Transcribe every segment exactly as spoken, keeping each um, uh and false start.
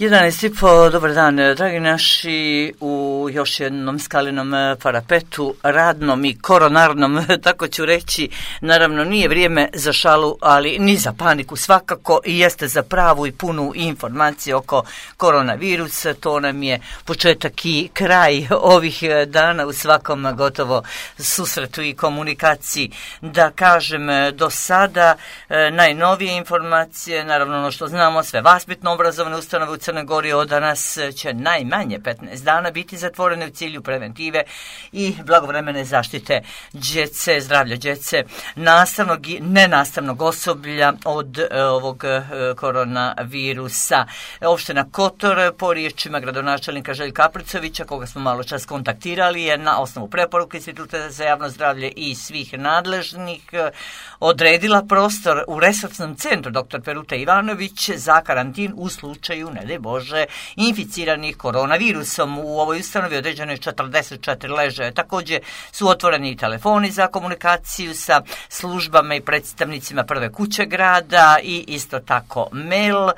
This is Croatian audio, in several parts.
jedanaest i po, dobar dan, dragi naši, u još jednom skalinom parapetu, radnom i koronarnom, tako ću reći. Naravno, nije vrijeme za šalu, ali ni za paniku svakako, i jeste za pravu i punu informaciju oko koronavirusa. To nam je početak i kraj ovih dana u svakom gotovo susretu i komunikaciji. Da kažem, do sada najnovije informacije, naravno ono što znamo, sve vaspitno-obrazovne ustanove u Crnoj Gori od danas će najmanje petnaest dana biti zatvorene u cilju preventive i blagovremene zaštite djece, zdravlja djece, nastavnog i nenastavnog osoblja od e, ovog e, koronavirusa. Opština Kotor, po riječima gradonačelnika Željka Apricovića, koga smo malo čas kontaktirali, je na osnovu preporuke Instituta za javno zdravlje i svih nadležnih e, odredila prostor u resursnom centru doktor Peruta Ivanović za karantin u slučaju, ne daj Bože, inficiranih koronavirusom. U ovoj ustanovi određeno je četrdeset četiri ležaja. Također su otvoreni i telefoni za komunikaciju sa službama i predstavnicima prve kuće grada i isto tako mail.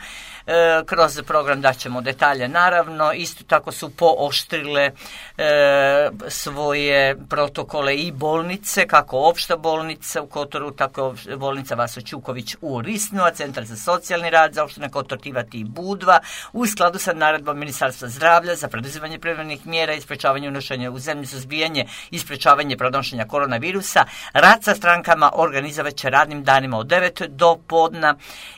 E, kroz program daćemo detalje, naravno. Isto tako su pooštrile e, svoje protokole i bolnice, kako opšta bolnica u Kotoru, tako bolnica Vaso Ćuković u Risnu, a Centar za socijalni rad za opštine Kotor, Tivati i Budva, u skladu sa naredbom Ministarstva zdravlja za preduzimanje prevremenih mjera i sprečavanje unošenja u zemlju, suzbijanje i sprečavanje prenošenja koronavirusa. Rad sa strankama organizovat će radnim danima od devet do podna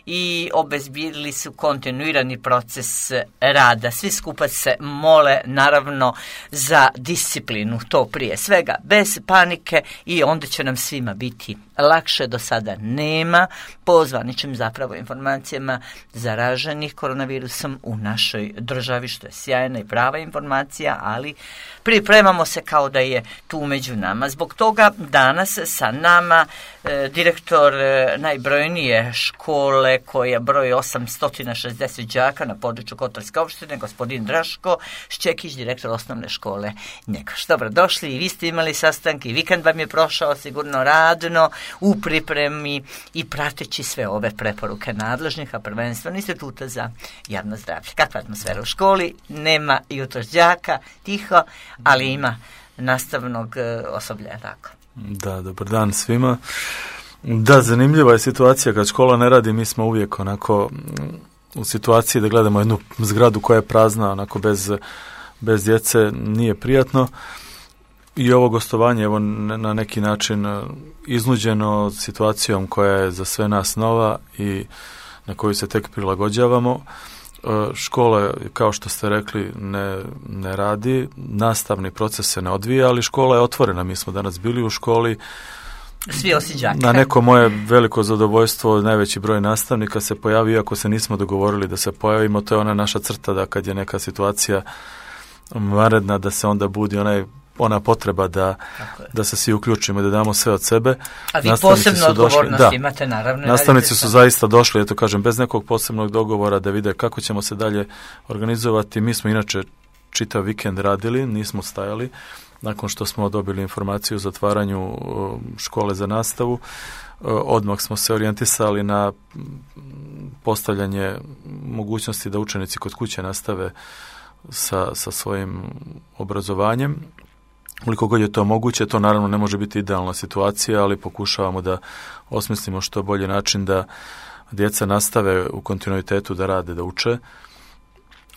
i obezbijedili su kontinuirani proces rada. Svi skupa se mole, naravno, za disciplinu, to prije svega, bez panike, i onda će nam svima biti lakše. Do sada nema po zvaničnim zapravo informacijama zaraženih koronavirusom u našoj državi, što je sjajna i prava informacija, ali pripremamo se kao da je tu među nama. Zbog toga danas sa nama e, direktor e, najbrojnije škole koja broji osamsto šezdeset đaka na području Kotorske opštine, gospodin Draško Šćekić, direktor osnovne škole Njegoš. Dobro došli, i vi ste imali sastanke, i vikend vam je prošao sigurno radno u pripremi i prateći sve ove preporuke nadležnih, a prvenstveno Instituta za javno zdravlje. Kakva atmosfera u školi? Nema jutros đaka, tiho, ali ima nastavnog osoblja, tako. Da, dobar dan svima. Da, zanimljiva je situacija kad škola ne radi. Mi smo uvijek onako u situaciji da gledamo jednu zgradu koja je prazna, onako bez, bez djece, nije prijatno. I ovo gostovanje, evo, na neki način iznuđeno situacijom koja je za sve nas nova i na koju se tek prilagođavamo. Škola, kao što ste rekli, ne, ne radi, nastavni proces se ne odvija, ali škola je otvorena. Mi smo danas bili u školi. Svi osim đaka. Na neko moje veliko zadovoljstvo, najveći broj nastavnika se pojavi, iako se nismo dogovorili da se pojavimo. To je ona naša crta, da kad je neka situacija vanredna, da se onda budi onaj ona potreba da, da se svi uključimo i da damo sve od sebe. A vi posebno odgovornost došli, imate, naravno. Nastavnici su zaista došli, eto kažem, bez nekog posebnog dogovora da vide kako ćemo se dalje organizovati. Mi smo inače čitav vikend radili, nismo stajali. Nakon što smo dobili informaciju o zatvaranju škole za nastavu, odmah smo se orijentisali na postavljanje mogućnosti da učenici kod kuće nastave sa, sa svojim obrazovanjem. Koliko god je to moguće, to naravno ne može biti idealna situacija, ali pokušavamo da osmislimo što bolji način da djeca nastave u kontinuitetu da rade, da uče.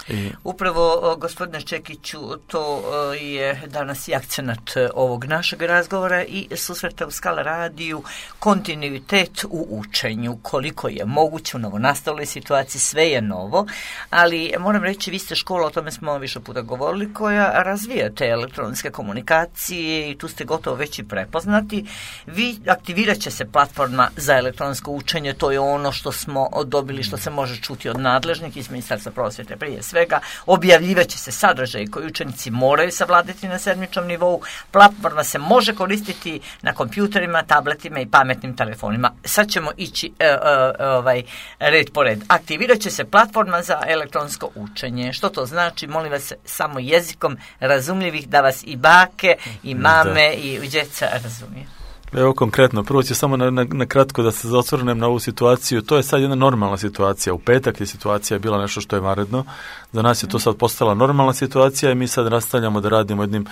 I... Upravo, gospodine Šćekiću, to je danas i akcenat ovog našeg razgovora i susreta u Skala radiju, kontinuitet u učenju, koliko je moguće u novonastaloj situaciji, sve je novo, ali moram reći, vi ste škola, o tome smo više puta govorili, koja razvija te elektronske komunikacije i tu ste gotovo već i prepoznati. Vi aktivirat će se platforma za elektronsko učenje, to je ono što smo dobili, što se može čuti od nadležnih iz Ministarstva prosvjete prije svega, objavljivat će se sadržaj koji učenici moraju savladati na sedmičnom nivou. Platforma se može koristiti na kompjuterima, tabletima i pametnim telefonima. Sad ćemo ići e, e, ovaj, red po red. Aktivirat će se platforma za elektronsko učenje. Što to znači? Molim vas, samo jezikom razumljivih, da vas i bake, i mame, da. i djeca razumiju. Evo konkretno, prvo ću samo na, na, na kratko da se osvrnem na ovu situaciju. To je sad jedna normalna situacija. U petak je situacija bila nešto što je vanredno. Za nas je to sad postala normalna situacija i mi sad nastavljamo da radimo jednim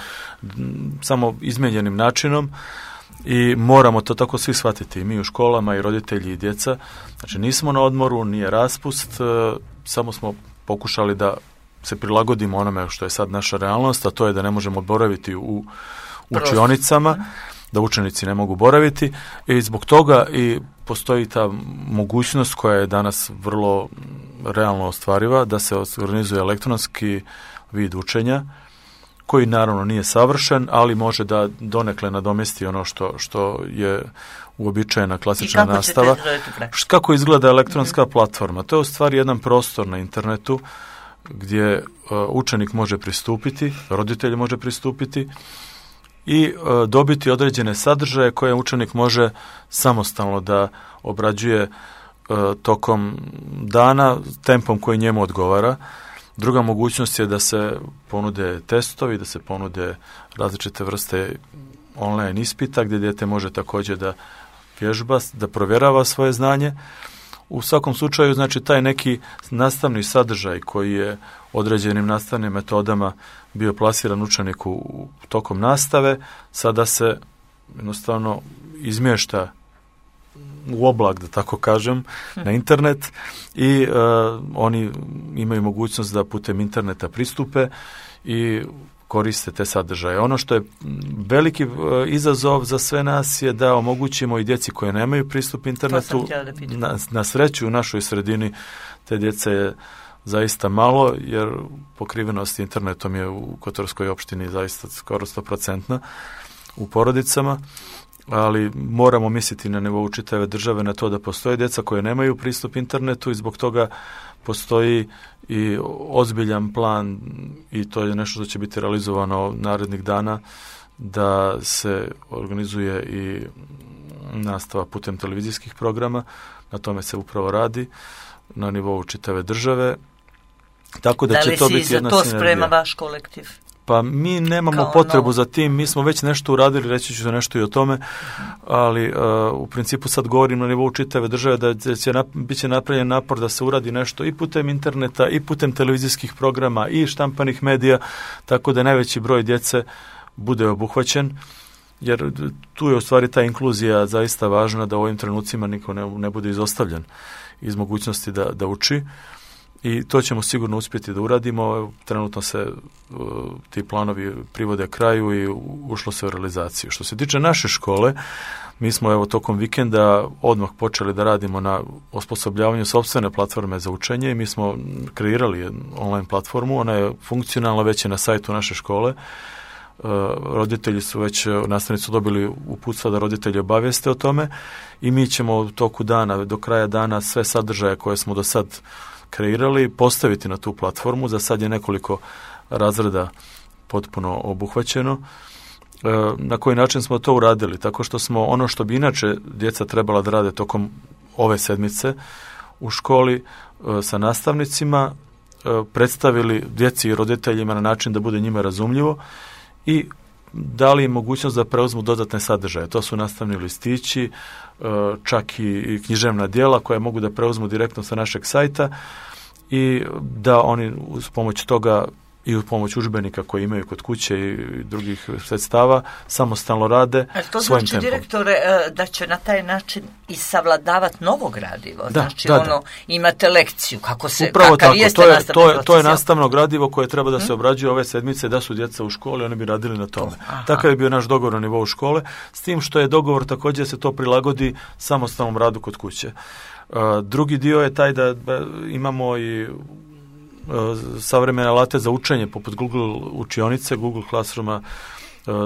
samo izmijenjenim načinom i moramo to tako svi shvatiti. I mi u školama i roditelji i djeca. Znači nismo na odmoru, nije raspust, samo smo pokušali da se prilagodimo onome što je sad naša realnost, a to je da ne možemo boraviti u učionicama, da učenici ne mogu boraviti i zbog toga i postoji ta mogućnost koja je danas vrlo realno ostvariva da se organizuje elektronski vid učenja koji naravno nije savršen, ali može da donekle nadomjesti ono što, što je uobičajena klasična kako nastava. Kako izgleda elektronska mm-hmm. platforma? To je u stvari jedan prostor na internetu gdje uh, učenik može pristupiti, roditelj može pristupiti i uh, dobiti određene sadržaje koje učenik može samostalno da obrađuje uh, tokom dana tempom koji njemu odgovara. Druga mogućnost je da se ponude testovi, da se ponude različite vrste online ispita gdje dijete može također da vježba, da provjerava svoje znanje. U svakom slučaju, znači, taj neki nastavni sadržaj koji je određenim nastavnim metodama bio plasiran učeniku tokom nastave, sada se jednostavno izmješta u oblak, da tako kažem, na internet i uh, oni imaju mogućnost da putem interneta pristupe i koriste te sadržaje. Ono što je veliki uh, izazov za sve nas je da omogućimo i djeci koje nemaju pristup internetu. Na, na sreću u našoj sredini te djece je zaista malo, jer pokrivenost internetom je u Kotorskoj opštini zaista skoro sto procentna u porodicama, ali moramo misliti na nivou čitave države na to da postoje djeca koje nemaju pristup internetu i zbog toga postoji i ozbiljan plan i to je nešto što će biti realizovano narednih dana da se organizuje i nastava putem televizijskih programa. Na tome se upravo radi na nivou čitave države. Tako da, da će to biti jedna sinergija. Da li si za to sprema vaš kolektiv? Pa mi nemamo Kao potrebu novo. za tim, mi smo već nešto uradili, reći ću nešto i o tome, ali uh, u principu sad govorim na nivou čitave države da će nap- bit će napravljen napor da se uradi nešto i putem interneta i putem televizijskih programa i štampanih medija, tako da najveći broj djece bude obuhvaćen, jer tu je u stvari ta inkluzija zaista važna da u ovim trenucima niko ne, ne bude izostavljen iz mogućnosti da, da uči. I to ćemo sigurno uspjeti da uradimo. Trenutno se uh, ti planovi privode kraju i ušlo se u realizaciju. Što se tiče naše škole, mi smo evo tokom vikenda odmah počeli da radimo na osposobljavanju sopstvene platforme za učenje i mi smo kreirali online platformu. Ona je funkcionalna, već je na sajtu naše škole. Uh, roditelji su već, nastavnici su dobili uputstva da roditelji obavijeste o tome i mi ćemo u toku dana, do kraja dana sve sadržaje koje smo do sad kreirali, postaviti na tu platformu. Za sad je nekoliko razreda potpuno obuhvaćeno. E, na koji način smo to uradili? Tako što smo ono što bi inače djeca trebala da rade tokom ove sedmice u školi e, sa nastavnicima e, predstavili djeci i roditeljima na način da bude njima razumljivo i dali im mogućnost da preuzmu dodatne sadržaje. To su nastavni listići, čak i književna djela koja mogu da preuzmu direktno sa našeg sajta i da oni uz pomoć toga i uz pomoć udžbenika koje imaju kod kuće i drugih sredstava samostalno rade svojim tempom. To znači, direktore, da će na taj način i savladavati novo gradivo. Da, znači, da, ono, da. imate lekciju, kako se, Upravo kakav tako, jeste to je, nastavni to je, proces. to je nastavno gradivo koje treba da se obrađuje ove sedmice, da su djeca u školi, oni bi radili na tome. Aha. Takav je bio naš dogovor na nivou škole, s tim što je dogovor također da se to prilagodi samostalnom radu kod kuće. Uh, drugi dio je taj da, da imamo i savremene alate za učenje poput Google učionice, Google Classrooma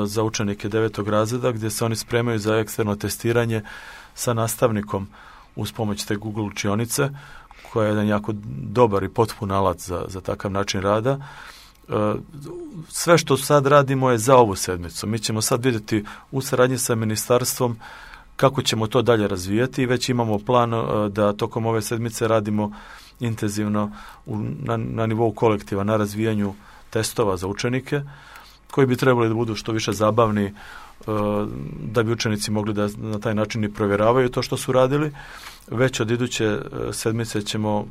za učenike devetog razreda gdje se oni spremaju za eksterno testiranje sa nastavnikom uz pomoć te Google učionice koja je jedan jako dobar i potpun alat za, za takav način rada. Sve što sad radimo je za ovu sedmicu. Mi ćemo sad vidjeti u saradnji sa ministarstvom kako ćemo to dalje razvijati i već imamo plan da tokom ove sedmice radimo intenzivno u, na, na nivou kolektiva na razvijanju testova za učenike, koji bi trebali da budu što više zabavni, da bi učenici mogli da na taj način i provjeravaju to što su radili. Već od iduće sedmice ćemo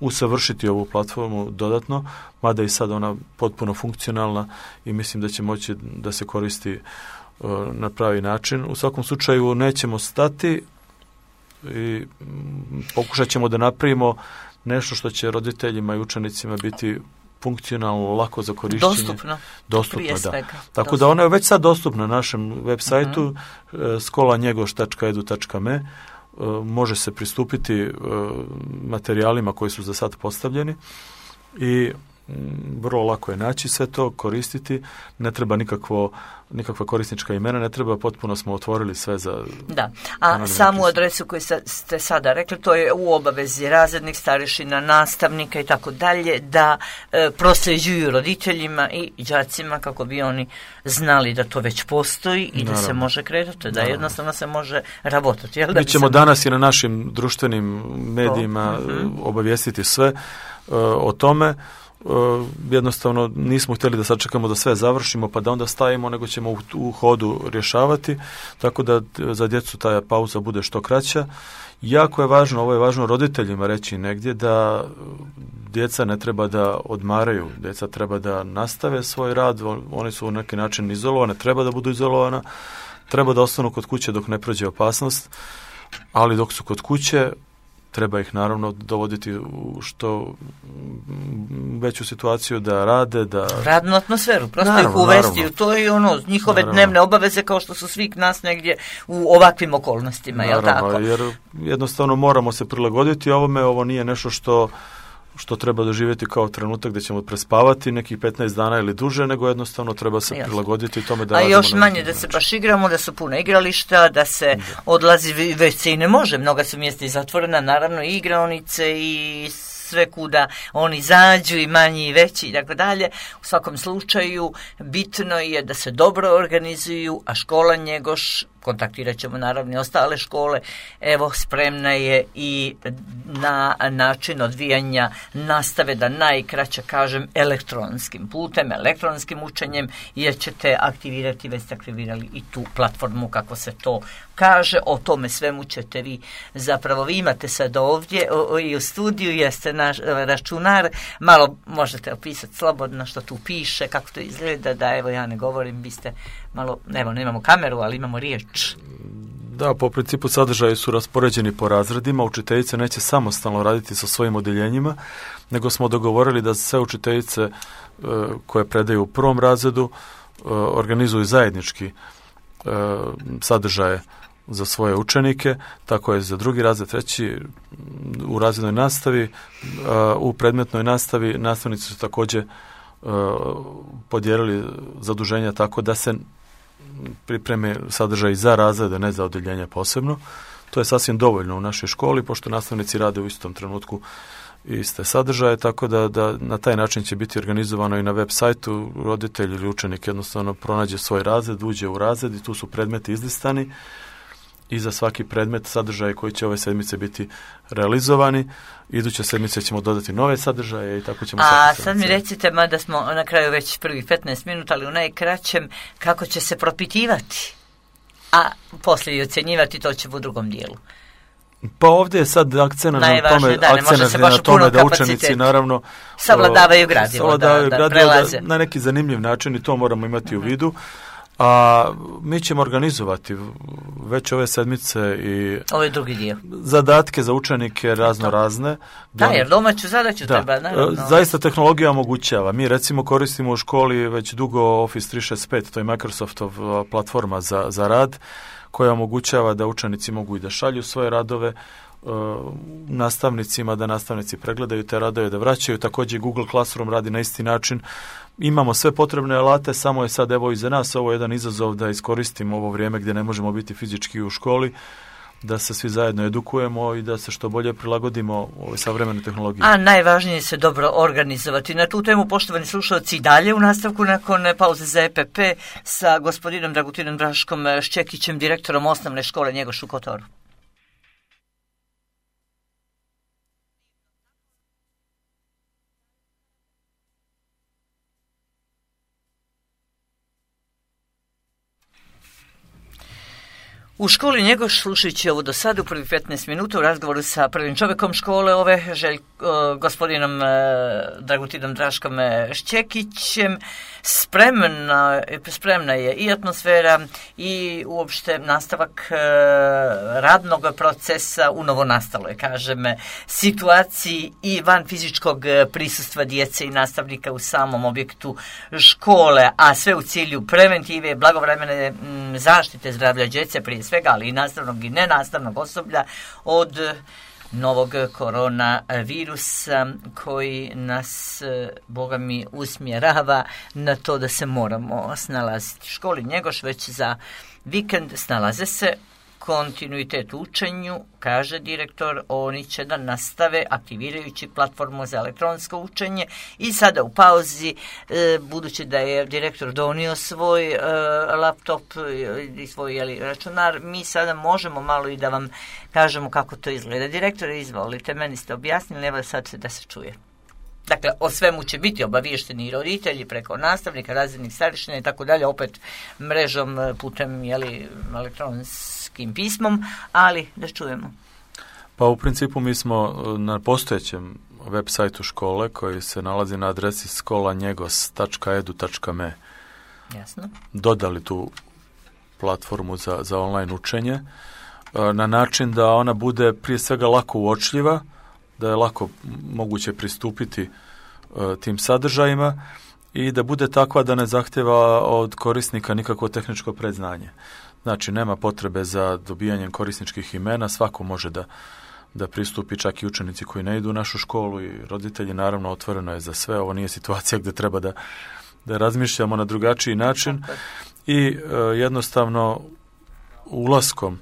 usavršiti ovu platformu dodatno, mada i sad ona potpuno funkcionalna i mislim da će moći da se koristi na pravi način. U svakom slučaju nećemo stati i pokušat ćemo da napravimo nešto što će roditeljima i učenicima biti funkcionalno, lako za korišćenje. Dostupno. Dostupno, da. Tako dostupno. Da ona je već sad dostupna na našem web sajtu uh-huh. skola njegoš tačka edu tačka me. Može se pristupiti materijalima koji su za sad postavljeni i vrlo lako je naći sve to, koristiti, ne treba nikakvo, nikakva korisnička imena, ne treba, potpuno smo otvorili sve za... Da, a samu adresu koju ste sada rekli, to je u obavezi razrednih starešina, nastavnika i tako dalje, da e, prosljeđuju roditeljima i đacima kako bi oni znali da to već postoji i Naravno. Da se može kretati, da Naravno. Jednostavno se može rabotati. Jel, da Mi ćemo se... danas i na našim društvenim medijima to. Uh-huh. obavijestiti sve uh, o tome. Uh, jednostavno nismo htjeli da sačekamo da sve završimo pa da onda stavimo, nego ćemo u, u hodu rješavati, tako da za djecu ta pauza bude što kraća. Jako je važno, ovo je važno roditeljima reći negdje, da djeca ne treba da odmaraju, djeca treba da nastave svoj rad, oni su u neki način izolovane, treba da budu izolovana, treba da ostanu kod kuće dok ne prođe opasnost, ali dok su kod kuće treba ih naravno dovoditi u što veću situaciju da rade, da... Radnu atmosferu, prosto naravno, ih uvesti naravno. U to i ono, njihove naravno. Dnevne obaveze kao što su svih nas negdje u ovakvim okolnostima, naravno, jel tako? Jer jednostavno moramo se prilagoditi ovome, ovo nije nešto što što treba doživjeti kao trenutak da ćemo prespavati nekih petnaest dana ili duže, nego jednostavno treba se Jasne. prilagoditi tome da... A još manje da se baš igramo, da su puna igrališta, da se da. odlazi, već se i ne može, mnoga su mjesta i zatvorena, naravno i igraonice i sve kuda oni zađu i manji i veći i tako dalje. U svakom slučaju bitno je da se dobro organizuju, a škola Njegoš, kontaktirat ćemo naravno i ostale škole, evo spremna je i na način odvijanja nastave, da najkraće kažem elektronskim putem, elektronskim učenjem, jer ćete aktivirati, već ste aktivirali i tu platformu kako se to kaže. O tome svemu ćete vi zapravo, vi imate sad ovdje o, o, i u studiju, jeste naš računar, malo možete opisati slobodno što tu piše, kako to izgleda, da evo ja ne govorim, vi ste malo, evo nemamo kameru, ali imamo riječ. Da, po principu sadržaji su raspoređeni po razredima, učiteljice neće samostalno raditi sa svojim odeljenjima, nego smo dogovorili da sve učiteljice e, koje predaju u prvom razredu e, organizuju zajednički e, sadržaje za svoje učenike, tako je za drugi razred, treći u razrednoj nastavi, u predmetnoj nastavi nastavnici su također podijelili zaduženja tako da se pripreme sadržaj za razrede, ne za odeljenja posebno. To je sasvim dovoljno u našoj školi, pošto nastavnici rade u istom trenutku iste sadržaje, tako da, da na taj način će biti organizovano i na web sajtu. Roditelj ili učenik jednostavno pronađe svoj razred, uđe u razred i tu su predmeti izlistani i za svaki predmet sadržaje koji će ove sedmice biti realizovani. Iduće sedmice ćemo dodati nove sadržaje i tako ćemo... A sad mi recite, mada smo na kraju već prvih petnaest minuta, ali u najkraćem, kako će se propitivati, a poslije i ocjenjivati, to će u drugom dijelu. Pa ovdje je sad akcent na tome, da, akcent na tome da učenici naravno savladavaju gradivo, savladavaju da, da gradivo da, na neki zanimljiv način, i to moramo imati uh-huh. u vidu. A mi ćemo organizovati već ove sedmice i ovo je drugi dio. Zadatke za učenike razno razne. Da, jer domaću zadaću da, treba. Naravno. Zaista tehnologija omogućava. Mi recimo koristimo u školi već dugo Office tri šezdeset pet, to je Microsoftov platforma za, za rad, koja omogućava da učenici mogu i da šalju svoje radove uh, nastavnicima, da nastavnici pregledaju te radove, da vraćaju. Također Google Classroom radi na isti način. Imamo sve potrebne alate, samo je sad evo iza nas ovo je jedan izazov da iskoristimo ovo vrijeme gdje ne možemo biti fizički u školi, da se svi zajedno edukujemo i da se što bolje prilagodimo ovoj savremenoj tehnologiji. A najvažnije je se dobro organizovati. Na tu temu, poštovani slušalci, i dalje u nastavku nakon pauze za E P P sa gospodinom Dragutinom Draškom Šćekićem, direktorom osnovne škole Njegoš u Kotoru. U školi Njegoš, slušajući ovo do sada u prvih petnaest minuta u razgovoru sa prvim čovjekom škole ove, želj, gospodinom Dragutinom Draškom Šćekićem, spremna, spremna je i atmosfera i uopšte nastavak radnog procesa u novonastaloj, kažem, situaciji i van fizičkog prisustva djece i nastavnika u samom objektu škole, a sve u cilju preventive, blagovremene zaštite zdravlja djece prije svega, ali i nastavnog i nenastavnog osoblja od novog koronavirusa koji nas, Boga mi, usmjerava na to da se moramo snalaziti. U školi Njegoš već za vikend snalaze se, kontinuitet u učenju, kaže direktor, oni će da nastave aktivirajući platformu za elektronsko učenje i sada u pauzi, e, budući da je direktor donio svoj e, laptop i svoj jeli, računar, mi sada možemo malo i da vam kažemo kako to izgleda. Direktore, izvolite, meni ste objasnili, evo sad da se čuje. Dakle, o svemu će biti obaviješteni i roditelji preko nastavnika, razrednih starešina i tako dalje, opet mrežom putem jeli, elektronskim pismom, ali da čujemo. Pa u principu mi smo na postojećem web sajtu škole koji se nalazi na adresi skola njegos tačka edu tačka me Jasno. dodali tu platformu za, za online učenje na način da ona bude prije svega lako uočljiva, da je lako moguće pristupiti uh, tim sadržajima i da bude takva da ne zahtjeva od korisnika nikakvo tehničko predznanje. Znači, nema potrebe za dobijanjem korisničkih imena, svako može da, da pristupi, čak i učenici koji ne idu u našu školu i roditelji, naravno, otvoreno je za sve. Ovo nije situacija gdje treba da, da razmišljamo na drugačiji način i uh, jednostavno ulaskom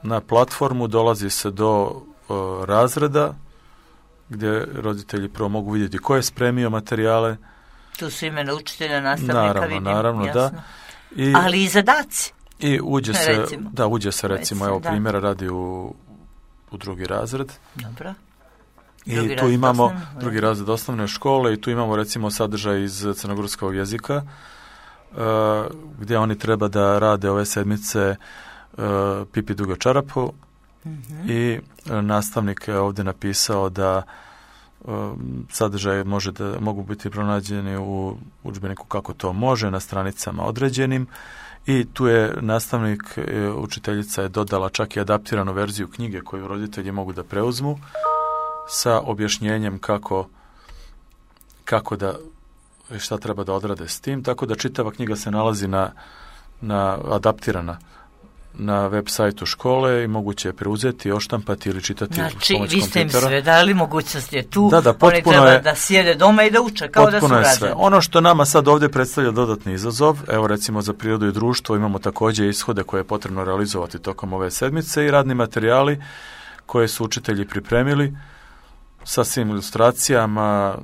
na platformu dolazi se do uh, razreda gdje roditelji prvo mogu vidjeti ko je spremio materijale. Tu su imena učitelja, nastavnika, naravno, vidim, naravno, jasno. da. I, ali i zadaci. I uđe se, recimo. da, uđe se recimo, recimo evo da. primjera radi u, u drugi razred. Dobro. I drugi tu imamo osnovne, drugi razred osnovne škole i tu imamo recimo sadržaj iz crnogorskog jezika uh, gdje oni treba da rade ove sedmice uh, Pipi dugo čarapu. Mm-hmm. I nastavnik je ovdje napisao da um, sadržaje može da, mogu biti pronađeni u udžbeniku kako to može na stranicama određenim i tu je nastavnik, učiteljica je dodala čak i adaptiranu verziju knjige koju roditelji mogu da preuzmu sa objašnjenjem kako, kako da šta treba da odrade s tim, tako da čitava knjiga se nalazi na, na adaptirana na web sajtu škole i moguće je preuzeti, oštampati ili čitati znači, uz pomoć vi ste im kompjutera. sve dali, mogućnost je tu, da, da, oni treba je, da sjede doma i da uče kao da su rađeni. Ono što nama sad ovdje predstavlja dodatni izazov, evo recimo za prirodu i društvo imamo također ishode koje je potrebno realizovati tokom ove sedmice i radni materijali koje su učitelji pripremili sa svim ilustracijama,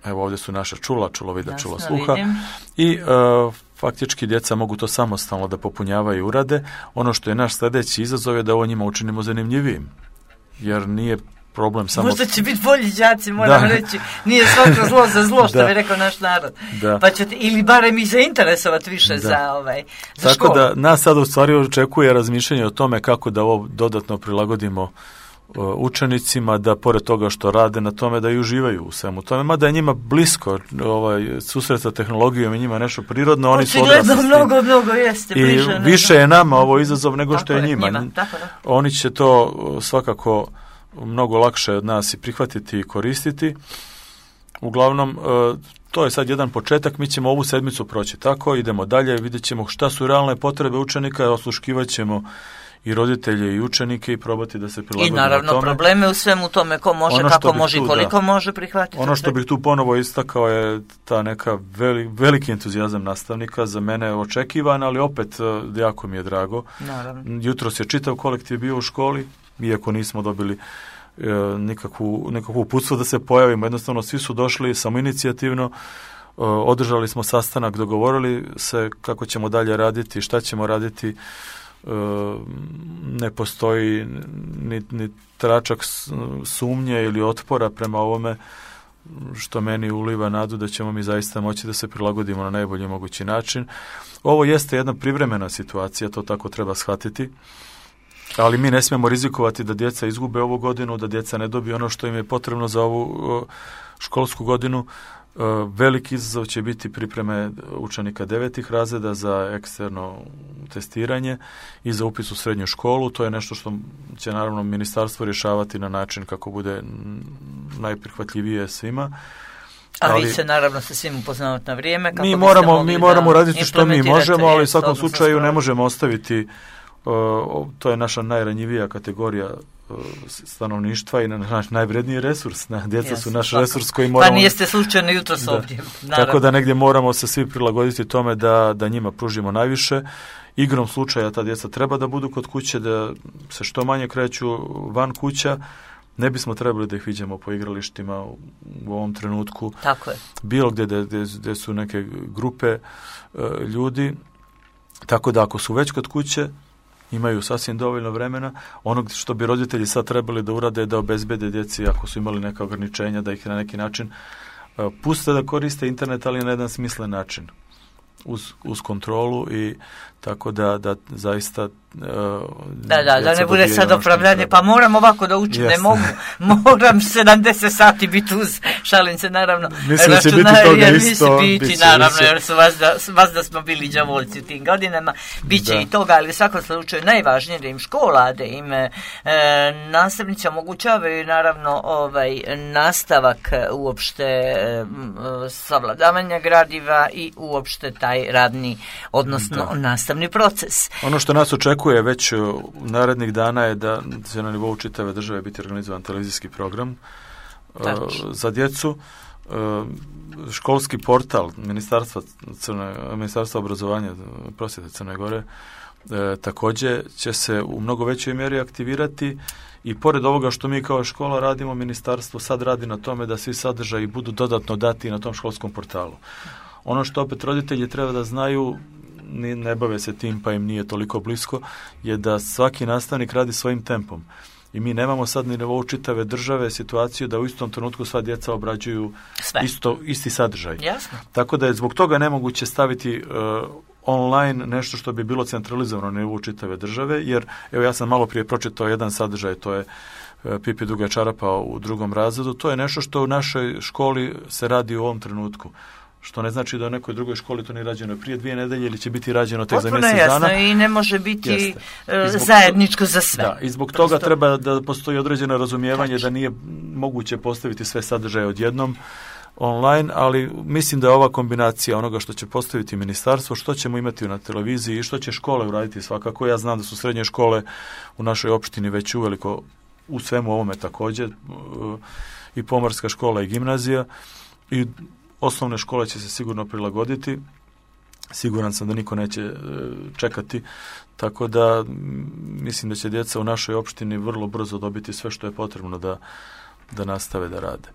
evo ovdje su naša čula, čulovida, Jasno, čula sluha vidim. i uh, faktički djeca mogu to samostalno da popunjavaju i urade. Ono što je naš sljedeći izazov je da ovo njima učinimo zanimljivijim, jer nije problem samo... Možda će biti bolji đaci, moram da. reći. Nije svako zlo za zlo, što bi rekao naš narod. Da. Pa ćete, ili barem i zainteresovati više da. za, ovaj, za Tako školu. da nas sad u stvari očekuje razmišljanje o tome kako da ovo dodatno prilagodimo učenicima, da pored toga što rade na tome da i uživaju u svemu tome, mada je njima blisko ovaj, susret sa tehnologijom i njima nešto prirodno, oni su odrasli s tim. mnogo, mnogo jeste. I bliže, više je nama ovo izazov nego tako što je njima. njima tako da. Oni će to svakako mnogo lakše od nas i prihvatiti i koristiti. Uglavnom, to je sad jedan početak, mi ćemo ovu sedmicu proći tako, idemo dalje, vidjet ćemo šta su realne potrebe učenika, osluškivat ćemo i roditelje i učenike i probati da se prilagodimo tome. I naravno probleme u svemu tome, ko može, ono kako može i koliko da. može prihvatiti. Ono što bih tu ponovo istakao je ta neka veli, veliki entuzijazam nastavnika, za mene je očekivan, ali opet jako mi je drago. Naravno. Jutros je čitav kolektiv bio u školi, iako nismo dobili e, nikakvu, nikakvu uputstvo da se pojavimo, jednostavno svi su došli samoinicijativno, e, održali smo sastanak, dogovorili se kako ćemo dalje raditi, šta ćemo raditi. Ne postoji ni, ni tračak sumnje ili otpora prema ovome. što meni uliva nadu da ćemo mi zaista moći da se prilagodimo na najbolji mogući način. Ovo jeste jedna privremena situacija, to tako treba shvatiti, ali mi ne smijemo rizikovati da djeca izgube ovu godinu, da djeca ne dobiju ono što im je potrebno za ovu školsku godinu. Veliki izazov će biti pripreme učenika devetih razreda za eksterno testiranje i za upis u srednju školu. To je nešto što će naravno ministarstvo rješavati na način kako bude najprihvatljivije svima. A ali, vi se naravno sa svim upoznavati na vrijeme. Kako mi moramo, mi moramo raditi što mi možemo, ali u svakom slučaju ne možemo ostaviti, uh, to je naša najranjivija kategorija stanovništva i naš najvredniji resurs. Na, djeca Jasne, su naš tako. resurs koji moramo... Pa nijeste slučajno jutros ovdje. Tako da negdje moramo se svi prilagoditi tome da, da njima pružimo najviše. Igrom slučaja ta djeca treba da budu kod kuće, da se što manje kreću van kuća. Ne bismo trebali da ih viđamo po igralištima u, u ovom trenutku. Tako je. Bilo gdje, gdje, gdje su neke grupe uh, ljudi. Tako da ako su već kod kuće, imaju sasvim dovoljno vremena. Ono što bi roditelji sad trebali da urade, da obezbede djeci, ako su imali neka ograničenja, da ih na neki način uh, puste da koriste internet, ali na jedan smislen način. Uz, uz kontrolu i tako da, da zaista... Uh, da, da, da ne bude sad opravdanje, pa moram ovako da učim, ne mogu, moram sedamdeset sati biti uz, šalim se naravno. Mislim da će biti toga isto. Biti, biti naravno, jer su vas da, vas da smo bili đavolci u tim godinama, bit će da. I toga, ali u svakom slučaju najvažnije da im škola, da im e, nastavnici omogućavaju naravno ovaj nastavak uopšte e, savladavanja gradiva i uopšte taj radni, odnosno da. nastavni proces. Ono što nas očekuje već u narednih dana je da će na nivou čitave države biti organizovan televizijski program uh, za djecu. Uh, školski portal Ministarstva, Crne, Ministarstva obrazovanja prosvjete Crne Gore uh, također će se u mnogo većoj mjeri aktivirati i pored ovoga što mi kao škola radimo, ministarstvo sad radi na tome da svi sadržaji budu dodatno dati na tom školskom portalu. Ono što opet roditelji treba da znaju, ne bave se tim pa im nije toliko blisko, je da svaki nastavnik radi svojim tempom. I mi nemamo sad ni nivou čitave države situaciju da u istom trenutku sva djeca obrađuju isto, isti sadržaj. Jasno. Tako da je zbog toga nemoguće staviti uh, online nešto što bi bilo centralizovano na nivou čitave države, jer evo ja sam malo prije pročitao jedan sadržaj, to je uh, Pipi duga čarapa u drugom razredu, to je nešto što u našoj školi se radi u ovom trenutku. Što ne znači da u nekoj drugoj školi to nije rađeno prije dvije nedelje ili će biti rađeno tek za mjesec dana. Potpuno jasno i ne može biti zajedničko za sve. Da, i zbog Prosto. toga treba da postoji određeno razumijevanje Tači. da nije moguće postaviti sve sadržaje odjednom online, ali mislim da je ova kombinacija onoga što će postaviti ministarstvo, što ćemo imati na televiziji i što će škole uraditi svakako. Ja znam da su srednje škole u našoj opštini već uveliko u svemu ovome također, i pomorska škola i gimnazija, i osnovne škole će se sigurno prilagoditi. Siguran sam da niko neće čekati, tako da mislim da će djeca u našoj opštini vrlo brzo dobiti sve što je potrebno da, da nastave da rade.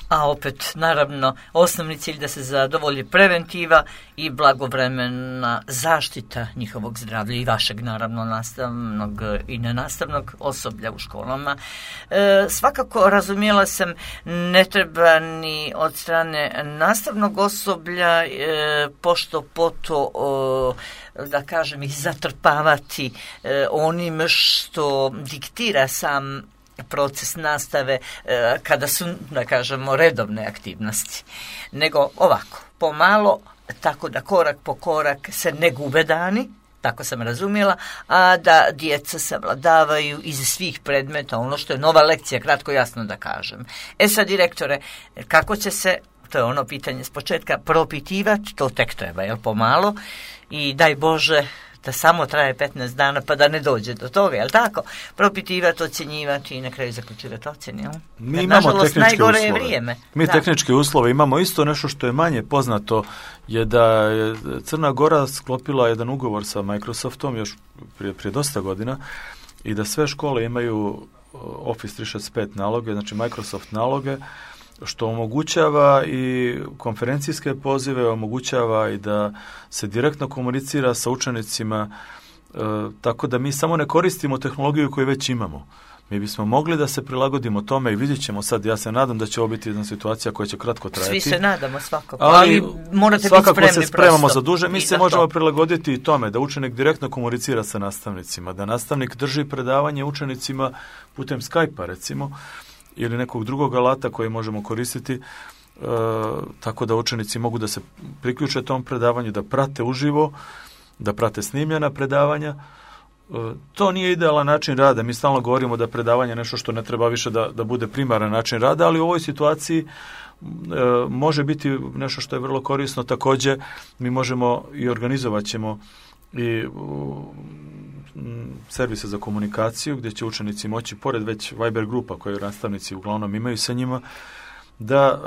A opet, naravno, osnovni cilj da se zadovolji preventiva i blagovremena zaštita njihovog zdravlja i vašeg, naravno, nastavnog i nenastavnog osoblja u školama. E, svakako, razumjela sam, ne treba ni od strane nastavnog osoblja e, pošto poto, o, da kažem, ih zatrpavati e, onim što diktira sam proces nastave e, kada su, da kažemo, redovne aktivnosti, nego ovako, pomalo, tako da korak po korak se ne gube dani, tako sam razumjela, a da djeca savladavaju iz svih predmeta ono što je nova lekcija, kratko jasno da kažem. E sad, direktore, kako će se, to je ono pitanje s početka, propitivati, to tek treba, jel, pomalo, i daj Bože da samo traje petnaest dana pa da ne dođe do toga, jel tako? Propitivati, ocjenjivati i na kraju zaključivati ocjene, jel? Mi Jer, imamo nažalost, tehničke uslove. Je vrijeme. Mi da. tehničke uslove imamo. Isto nešto što je manje poznato je da je Crna Gora sklopila jedan ugovor sa Microsoftom još prije, prije dosta godina i da sve škole imaju Office tristo šezdeset pet naloge, znači Microsoft naloge, što omogućava i konferencijske pozive, omogućava i da se direktno komunicira sa učenicima, e, tako da mi samo ne koristimo tehnologiju koju već imamo. Mi bismo mogli da se prilagodimo tome i vidjet ćemo sad, ja se nadam da će ovo biti jedna situacija koja će kratko trajati. Svi se nadamo svakako, ali, ali morate biti spremni. Svakako se spremamo za duže, mi se možemo to. prilagoditi i tome da učenik direktno komunicira sa nastavnicima, da nastavnik drži predavanje učenicima putem Skype-a recimo, ili nekog drugog alata koji možemo koristiti, e, tako da učenici mogu da se priključe tom predavanju, da prate uživo, da prate snimljena predavanja. To nije idealan način rada. Mi stalno govorimo da predavanje je nešto što ne treba više da, da bude primaran način rada, ali u ovoj situaciji e, može biti nešto što je vrlo korisno. Također mi možemo i organizovat ćemo i m, servise za komunikaciju gdje će učenici moći, pored već Viber grupa koje nastavnici uglavnom imaju sa njima, da e,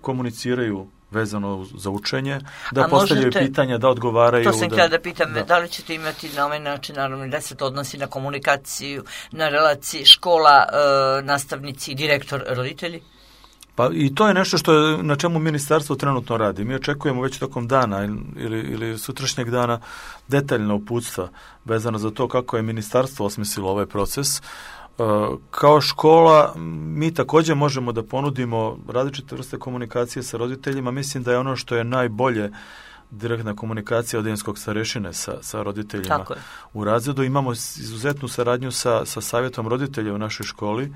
komuniciraju vezano za učenje, da postavljaju možete, pitanja, da odgovaraju. To sam htjela da pitam, da. da li ćete imati na ovaj način, naravno, da se to odnosi na komunikaciju, na relaciji škola, e, nastavnici i direktor, roditelji? Pa i to je nešto što je, na čemu ministarstvo trenutno radi. Mi očekujemo već tokom dana ili, ili sutrašnjeg dana detaljna uputstva vezano za to kako je ministarstvo osmislilo ovaj proces. Kao škola mi također možemo da ponudimo različite vrste komunikacije sa roditeljima. Mislim da je ono što je najbolje direktna komunikacija odeljinskog starešine sa, sa roditeljima u razredu. Imamo izuzetnu saradnju sa, sa savjetom roditelja u našoj školi.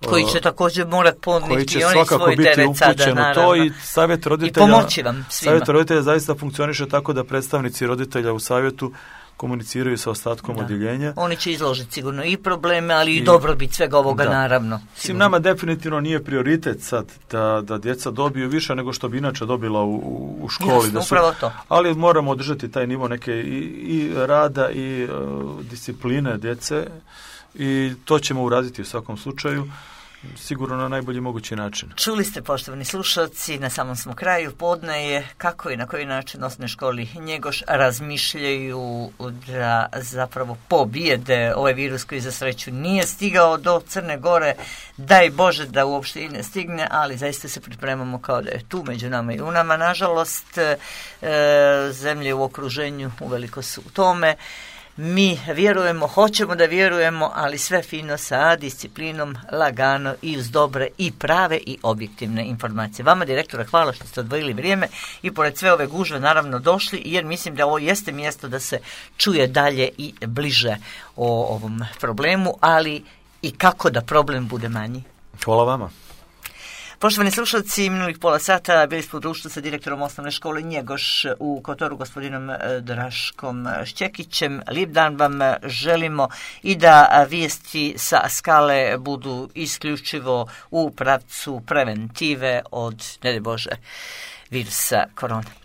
Koji će također morati podnijeti koji će i oni svakako svoj biti teret sada, upućeno naravno. To i savjet roditelja, I pomoći vam svima. Savjet roditelja zaista funkcioniše tako da predstavnici roditelja u savjetu komuniciraju sa ostatkom da. odjeljenja. Oni će izložiti sigurno i probleme, ali i, i dobrobit svega ovoga, da. naravno. Sim, nama definitivno nije prioritet sad da, da djeca dobiju više nego što bi inače dobila u, u školi. Jasno, da su, upravo to. Ali moramo održati taj nivo neke i, i rada i uh, discipline djece i to ćemo uraditi u svakom slučaju. Sigurno na najbolji mogući način. Čuli ste, poštovani slušalci, na samom smo kraju podne je kako i na koji način osnovne školi Njegoš razmišljaju da zapravo pobijede ovaj virus koji za sreću nije stigao do Crne Gore. Daj Bože da uopšte i ne stigne, ali zaista se pripremamo kao da je tu među nama i u nama. Nažalost, e, zemlje u okruženju uveliko su u tome. Mi vjerujemo, hoćemo da vjerujemo, ali sve fino sa disciplinom, lagano i uz dobre i prave i objektivne informacije. Vama, direktora, hvala što ste odvojili vrijeme i pored sve ove gužve naravno došli, jer mislim da ovo jeste mjesto da se čuje dalje i bliže o ovom problemu, ali i kako da problem bude manji. Hvala vama. Poštovani slušalci, minulih pola sata bili smo u društvu sa direktorom osnovne škole Njegoš u Kotoru, gospodinom Draškom Šćekićem. Lijep dan vam želimo i da vijesti sa skale budu isključivo u pravcu preventive od, ne daj Bože, virusa korona.